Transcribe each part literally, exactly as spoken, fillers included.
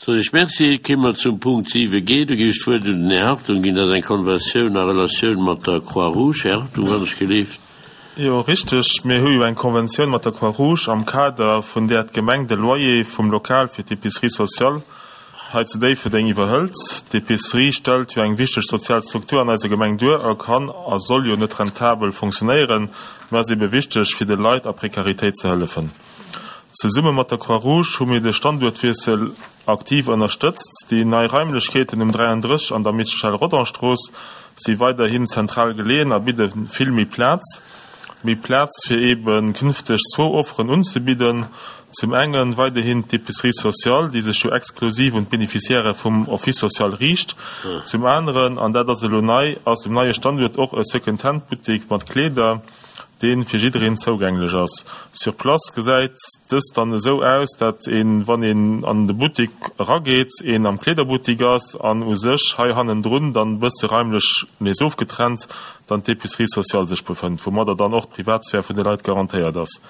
Soen ech Merci. Kéime mer zum Punkt siwe G. Do géif ech d'Wuert un den Här Hartung ginn. Dat ass eng Konventioun a Relatioun mat der Croix-Rouge. Här Hartung, wann ech geleeft. Jo, richteg. Mir hu jo eng Konventioun mat der Croix-Rouge, am Kader vun där d'Gemeng de Loyer vum Lokal fir d'Épicerie sociale hei zu Déifferdeng iwwerhëlt. D'Épicerie stellt jo eng wichteg sozial Struktur an eiser Gemeng duer a kann a soll jo net rentabel funktionéieren, mä ass ebe wichteg, fir de Leit a Prekaritéit ze hëllefen. Zesumme mat der Croix-Rouge hu mir de Standuertwiessel aktiv ënnerstëtzt. Déi nei Raimlechkeeten um dräiandrësseg an der Michel-Rodange-Strooss si weiderhin zentral geleeën a bidde vill méi Plaz. Méi Plaz fir ebe künfteg zwou Offeren unzebidden, zum enge weiderhin d'Épicerie sociale, déi sech jo exklusiv un d'Beneficiairë vum Office social riicht. Zum aneren, an dat ass elo nei, ass um neie Standuert och e Second-Hand-Buttek mat Kleeder, dee fir jiddereen zougänglech ass. Sur place gesäit dëst dann esou aus, dat een, wann een an de Buttek erageet, een am Kleederbuttek ass an u sech hei hannendrun dann e bësse raimlech nees ofgetrennt dann d'Épicerie sociale sech befënnt, woumadder dann och d'Privatsphär vun de Leit garantéiert ass.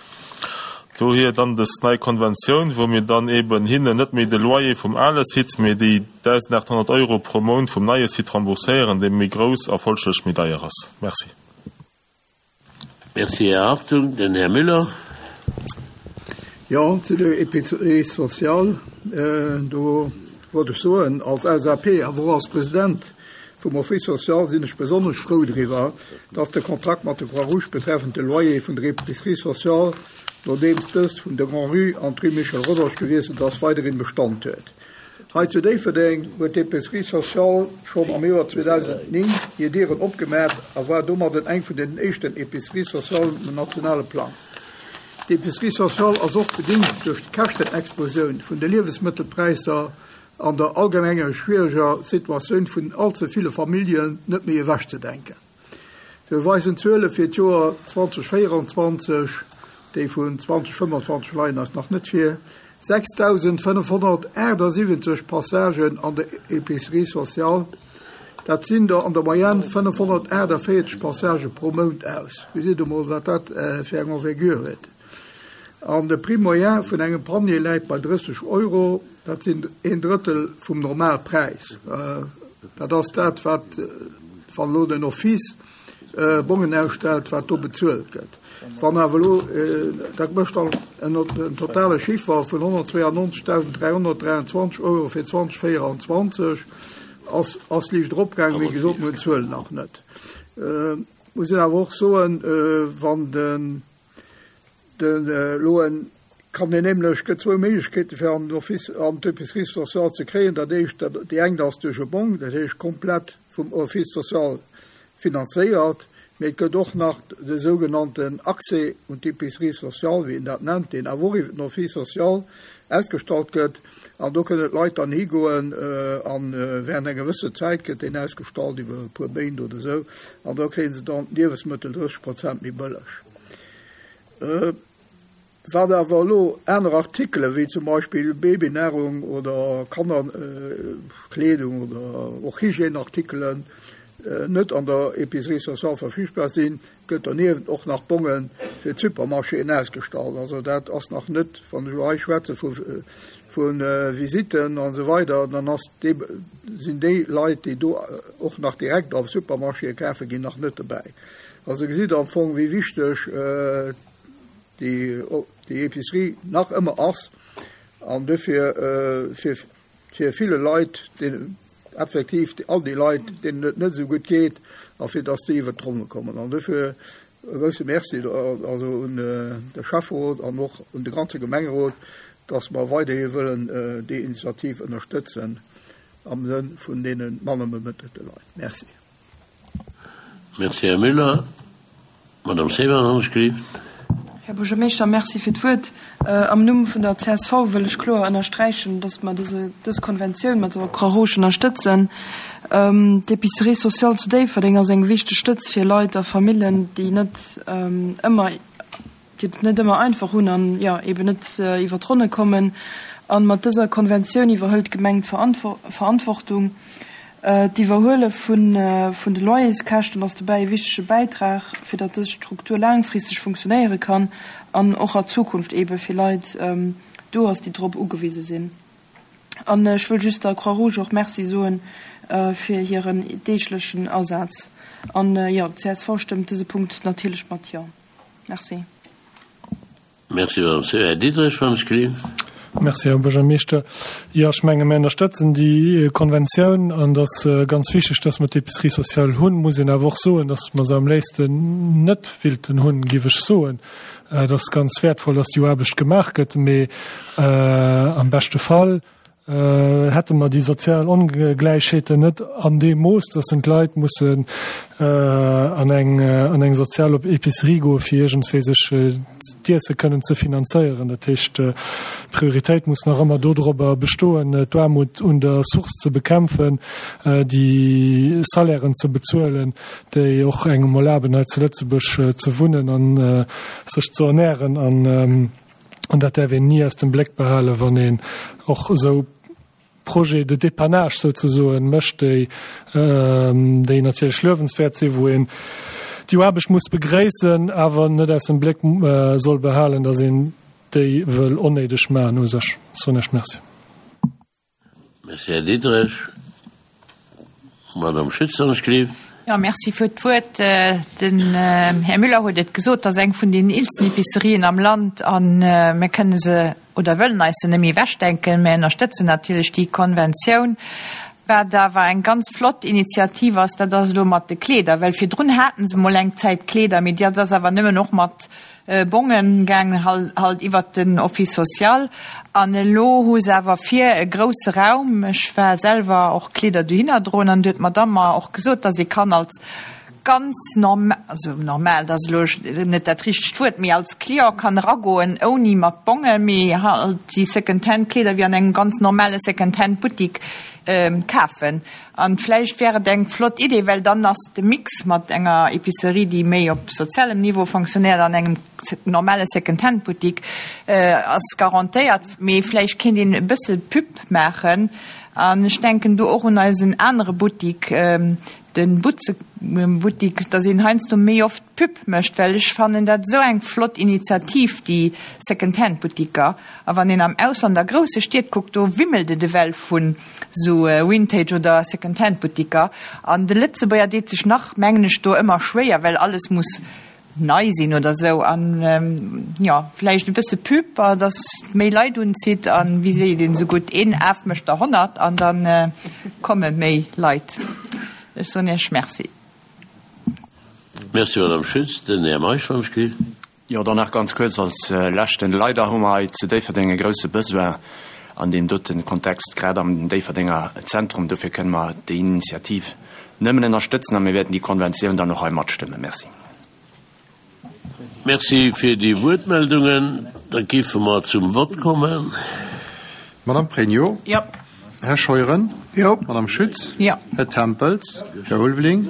Dohier dann dës nei Konventioun, wou mir dann eben hinnen net méi de Loyer vum ale Site, mee déi dausendachthonnert Euro pro Mount vum neie Site rembourséieren, dee méi grouss a folglech méi deier ass. Merci. Merci, Här Hartung. Den Här Müller. Jo, zu der Épicerie sociale, do wollt ech soen, als L S A P, awer och als President vum Office social sinn ech besonnesch frou driwwer, dass de Kontrakt mat der Croix-Rouge betreffend de Loyer vun der Épicerie sociale, nodeems dëst vun der Grand-Rue an d'Rue Michel Rodange gewiesselt ass, weiderhin Bestand huet. Hei zu Déifferdeng huet d'Épicerie sociale schonn am Joer zweedausendnéng hir Dieren opgemaach a war domadden eng vun den éischten Épiceries sociales um nationale Plang. D'Épicerie sociale ass och bedingt duerch d'Käschtenexplosioun vun de Liewensmëttelpräisser an der allgemenger schwiereger Situatioun vun allze ville Familljen net méi ewechzedenken. Sou weisen d'Zuele fir d'Joer zweedausendvéierenzwanzeg, déi vun zweedausendfënnefanzwanzeg leien eis nach net vir, sechsdausendfënnefhonnertaachtsiwwenzeg Passagen an der Épicerie sociale. Dat sinn der an der Moyenne fënnefhonnertaachtavéierzeg Passage pro Mount aus. Gesitt emol, wat dat fir eng Envergure huet. An de Prix moyen vun engem Panier läit bei drësseg Euro, dat sinn een Drëttel vum Normalpräis. Dat ass dat, wat, wann elo den Office Bongen ausstellt, wat do bezuelt gëtt. Wann awer elo, dat mécht dann en totale Chiffer vun honnertzweeannonzegdausend dräihonnertdräianzwanzeg Euro fir zweedausendvéierenzwanzeg, ass, ass liicht eropgaangen, wéi gesot, mir hunn d'Zuelen nach net. Muss een awer och soen, wann den, den elo en kann een nämlech, gëtt zwou Méiglechkeete fir an den Office, an d'Épicerie sociale ze kréien. Dat éischt, déi eng ass duerch e Bong, dat heescht komplett vum Office social finanzéiert, mee et gëtt och nach de sougenannten Accès un d'Épicerie sociale, wéi een dat nennt, deen awer och iwwer den Office social ausgestallt gëtt, an do kënnen d'Leit dann higoen a während enger gewësse Zäit gëtt deen ausgestallt, iwwer e puer Méint oder esou, an da kréie se dann d'Liewesmëttel drësseg Prozent méi bëlleg. Wat awer elo aner Artikele wéi zum Beispill Babynahrung oder Kannerkleedung oder och Hygièneartikelen net an der Épicerie sociale verfügbar sinn, gëtt doniewent och nach Bonge fir d'Supermarchéen ausgestallt. Also dat ass nach net, wann ech elo hei schwätze vu vu Visitten an esou weider, dann ass dee, sinn déi Leit, déi do och nach direkt a Supermarchéë kafe ginn, nach net dobäi. Also gesitt Der am Fong, wéi wichteg déi déi Épicerie nach ëmmer ass an dofir fir fir ville Leit, deenen effektiv all déi Leit, deenen et net esou gutt geet, a fir dass déi iwwert d'Ronne kommen. An dofir e grousse Merci also un de Schäfferot an och un de ganze Gemengerot, dass mer weiderhi wëllen déi Initiativ ënnerstëtzen am Sënn vun deene manner bemëttelte Leit. Merci. Merci, Här Müller. Madame Seemann, han ech gelift. Här Buergermeeschter, merci fir d'Wuert. Am Numm vun der C S V wëll ech kloer ënnersträichen, dass mer dëse, dës Konventioun mat der Croix-Rouge ënnerstëtzen. D'Épicerie sociale zu Déifferdeng ass eng wichteg Stëtz fir Leit a Familljen, déi net ëmmer, déi et net ëmmer einfach hunn an, jo, eben net iwwer d'Ronne kommen. An mat dëser Konventioun iwwerhëlt d'Gemeng d'Verantwortung. D'Iwwerhuele vun vun de Loyerskäschten ass dobäi e wichtege Bäitrag, fir datt dës Struktur laangfristeg funktionéiere kann an och a Zukunft ebe fir Leit do ass, déi drop ugewise sinn. An ech wëll just der Croix-Rouge och Merci soen fir hiren deeglechen Asaz. An jo, d'CSV stëmmt dëse Punkt natierlech mat Jo. Merci. Merci, Madame Seemann. Här Diderich, wann ech gelift. Merci, Här Buergermeeschter. Jo, ech menge mir ënnerstëtzen déi Konventioun an et ass ganz wichteg, dass mer d'Épicerie sociale hunn. Muss een awer och soen, dass mer se am léifsten net wéilten hunn, géif ech soen. Et ass ganz wäertvoll, dass déi Aarbecht gemaach gëtt, mee am beschte Fall hätte mer déi sozial Ongläichheeten net an deem Mooss, dass en d'Leit mussen an eng an eng sozial Épicerie goe fir iergendswéi sech d'Iesse kënnen ze finanzéieren. Dat heescht, d'Prioritéit muss nach ëmmer dodrobber bestoen, d'Aarmut un der Source ze bekämpfen, déi Salairen ze bezuelen, déi och engem erlaben hei zu Lëtzebuerg ze wunnen an sech ze ernären. An an dat däerf een ni aus dem Bléck behalen, wann een och esou Projets de dépannage souzesoen mécht, déi déi natierlech luewenswäert sinn, wou een déi Aarbecht muss begréissen, awer net aus dem Bléck soll behalen, datt een déi wëll onnéideg maachen u sech. Soen ech Merci. Merci, Här Diderich. Madame Schütz, wann ech gelift. Jo, merci fir d'Wuert. Den Här Müller huet et gesot, dat ass eng vun den eelsten Epicerien am Land a mir kënne se oder wëllen eis se net méi ewechdenken. Mir ënnerstëtzen natierlech déi Konventioun. Wat awer eng ganz flott Initiativ ass, dat ass elo mat de Kleeder, well virdrun haten se mol eng Zäit Kleeder, mee dat ass awer nëmmen och mat Bongen gaangen, halt iwwert den Office social. An elo hu se awer vir e grousse Raum. Ech war selwer och Kleeder dohinner droen an du huet d'Madame mer och gesot, dass ee kann als ganz normal, also normal, dat ass elo net dat richtegt Wuert, mee als Client kann eragoen ouni mat Bongen, mee halt déi Second-Hand-Kleeder wéi an engem ganz normale Second-Hand-Buttik kafen. An vläicht wär et eng flott Idee, well dann ass de Mix mat enger Epicerie, déi méi op sozialem Niveau fonctionnéiert, an engem normale Second-Hand-Buttik ass garantéiert. Mee vläicht kéint een e bësse Pub maachen. An ech denken do och un eisen anere Buttik, de Butzebuttik, dass een heiansdo méi oft Pub mécht, well ech fannen dat esou eng flott Initiativ, déi Second-Hand-Buttiker. A wann een am Ausland a grousse Stied kuckt, do wimmelt et ewell vun esou Vintage oder Second-Hand-Buttiker. An de Lëtzebuerger deet sech nach, mengen ech, do ëmmer schwéier, well alles muss nei sinn oder sou. An jo, vläicht e bësse Pub, dass méi Leit unzitt. An wéi seet een esou gutt, een Af mécht der honnert an da komme méi Leit. Ech soen Iech Merci. Merci, Madame Schütz. Den Här Meisch, wann ech kritt. Jo, dann nach ganz kuerz als leschten. Leider hu mer hei zu Déifferdeng e grouse Besoin an deem dote Kontext, grad am Déifferdenger Zentrum. Dofir kënne mer déi Initiativ nëmmen ënnerstëtzen a mir wäerten déi Konventioun dann och hei matstëmmen. Merci. Merci fir déi Wuertmeldungen. Da géife mer zum Vott kommen. Madame Pregno. Jo. Här Scheuren. Jo. Madame Schütz. Jo. Här Tempels. Här Ulveling.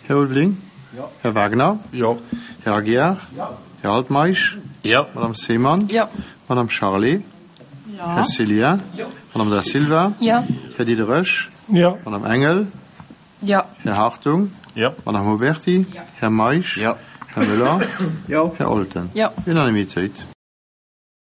Här Ulveling. Jo. Här Wagner. Jo. Här Aguiar. Jo. Här Altmeisch. Jo. Madame Seemann. Jo. Madame Charlé. Jo. Här Cillien. Jo. Madame Da Silva. Jo. Här Diderich. Jo. Madame Engel. Jo. Här Hartung. Jo. Madame Huberty. Jo. Här Meisch. Jo. Här Müller. Jo. Här Olten. Jo. Unanimitéit.